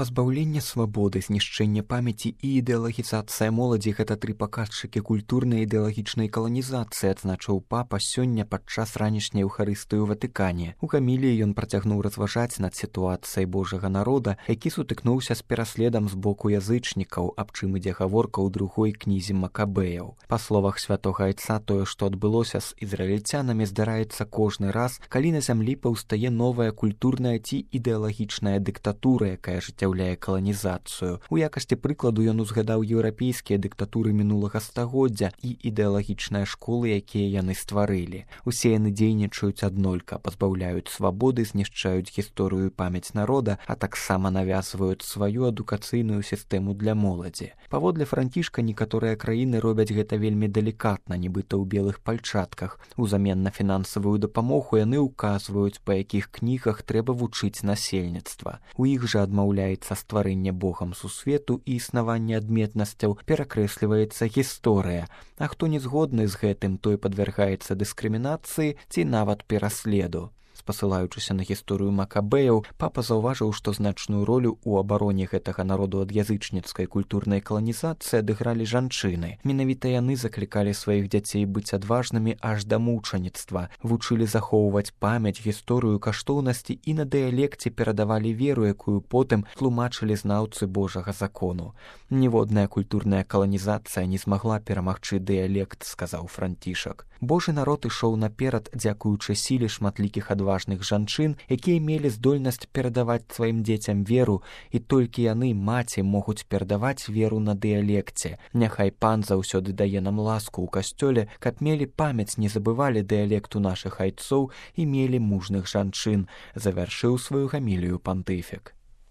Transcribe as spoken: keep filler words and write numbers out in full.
Пазбаўленне свабоды, знішчэнне памяці і ідэалагізацыя моладзі гэта тры паказчыкі культурнай і ідэалагічнай каланізацыі, адзначыў папа сёння падчас ранішняй эўхарыстыі ў Ватыкане. У гаміліі ён працягнуў разважаць над сітуацыяй Божага народа, які сутыкнуўся з пераследам з боку язычнікаў, аб чым ідзе гаворка ў другой кнізе Макабеяў. Па словах святога айца, тое, што адбылося з ізраільцянамі, здараецца кожны раз, калі на зямлі паўстае новая культурная ці ідэалагічная дыктатура, якая жыццяўляе каланізацыю. У якасці прыкладу ён узгадаў еўрапейскія дыктатуры мінулага стагоддзя і ідэалагічныя школы, якія яны стварылі. Усе яны дзейнічаюць аднолька, пазбаўляюць свабоды, знішчаюць гісторыю і памяць народа, а таксама навязваюць сваю адукацыйную сістэму для моладзі. Паводле Францішка, некаторыя краіны робяць гэта вельмі далікатна, нібыта ў белых пальчатках. Узамен на фінансавую дапамогу яны ўказваюць, па якіх кнігах трэба вучыць насельніцтва. У іх жа адмаўляецца стварэнне Богам сусвету і існаванне адметнасцяў, перакрэсліваецца гісторыя. А хто не згодны з гэтым, той падвяргаецца дыскрымінацыі ці нават пераследу. Спасылаючыся на гісторыю Макабеяў, папа заўважыў, што значную ролю ў абароне гэтага народу ад язычніцкай культурнай каланізацыі адыгралі жанчыны. Менавіта яны заклікалі сваіх дзяцей быць адважнымі аж да мучаніцтва, вучылі захоўваць памяць, гісторыю, каштоўнасці і на дыялекце перадавалі веру, якую потым тлумачылі знаўцы Божага закону. Ніводная культурная каланізацыя не змагла перамагчы дыялект, сказаў Францішак. Божы народ ішоў наперад дзякуючы сіле шматлікіх адважных жанчын, якія мелі здольнасць перадаваць сваім дзецям веру, і толькі яны, маці, могуць перадаваць веру на дыялекце. Няхай пан заўсёды дае нам ласку ў касцёле, каб мелі памяць, не забывалі дыялекту нашых айцоў і мелі мужных жанчын, завяршыў сваю гамілію пантыфік.